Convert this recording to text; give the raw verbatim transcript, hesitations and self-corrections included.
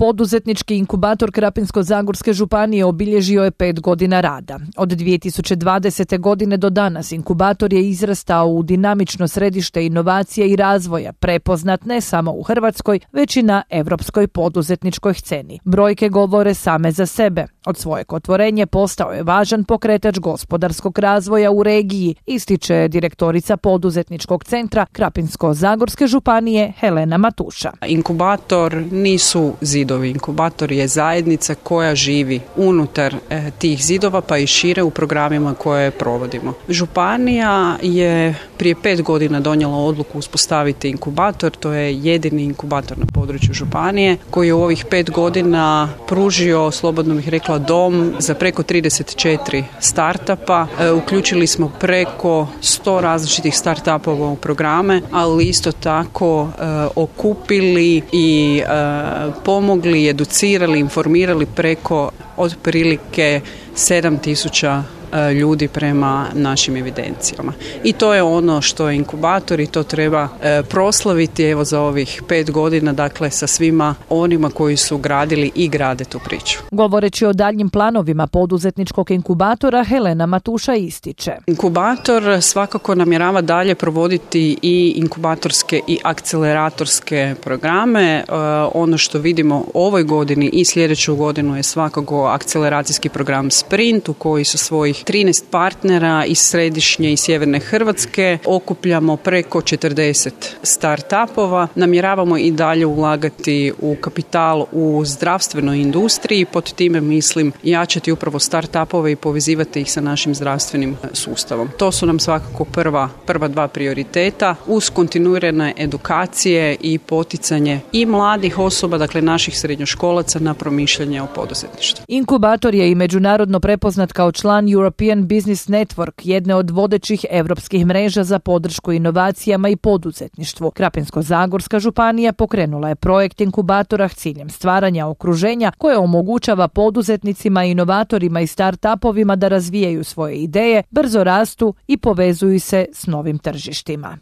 Poduzetnički inkubator Krapinsko-zagorske županije obilježio je pet godina rada. Od dvije tisuće dvadesete. godine do danas inkubator je izrastao u dinamično središte inovacije i razvoja, prepoznat ne samo u Hrvatskoj, već i na europskoj poduzetničkoj sceni. Brojke govore same za sebe. Od svojeg otvorenja postao je važan pokretač gospodarskog razvoja u regiji, ističe direktorica poduzetničkog centra Krapinsko-zagorske županije Helena Matuša. Inkubator nisu zidovi. Inkubator je zajednica koja živi unutar e, tih zidova pa i šire u programima koje provodimo. Županija je prije pet godina donijela odluku uspostaviti inkubator. To je jedini inkubator na području županije koji je u ovih pet godina pružio, slobodno bih rekla, dom za preko trideset četiri startupa. E, uključili smo preko sto različitih startupova u programe, ali isto tako e, okupili i e, pomogli, educirali, informirali preko otprilike sedam tisuća ljudi prema našim evidencijama. I to je ono što je inkubator i to treba e, proslaviti evo za ovih pet godina, dakle sa svima onima koji su gradili i grade tu priču. Govoreći o daljnjim planovima poduzetničkog inkubatora, Helena Matuša ističe. Inkubator svakako namjerava dalje provoditi i inkubatorske i akceleratorske programe. E, ono što vidimo ovoj godini i sljedeću godinu je svakako akceleracijski program Sprint u koji su svojih trinaest partnera iz središnje i sjeverne Hrvatske. Okupljamo preko četrdeset startupova. Namjeravamo i dalje ulagati u kapital u zdravstvenoj industriji. Pod time mislim jačati upravo startupove i povezivati ih sa našim zdravstvenim sustavom. To su nam svakako prva, prva dva prioriteta uz kontinuirane edukacije i poticanje i mladih osoba, dakle naših srednjoškolaca na promišljanje o poduzetništvu. Inkubator je i međunarodno prepoznat kao član European Business Network, jedne od vodećih europskih mreža za podršku inovacijama i poduzetništvu. Krapinsko-zagorska županija pokrenula je projekt inkubatora s ciljem stvaranja okruženja koje omogućava poduzetnicima, inovatorima i startupovima da razvijaju svoje ideje, brzo rastu i povezuju se s novim tržištima.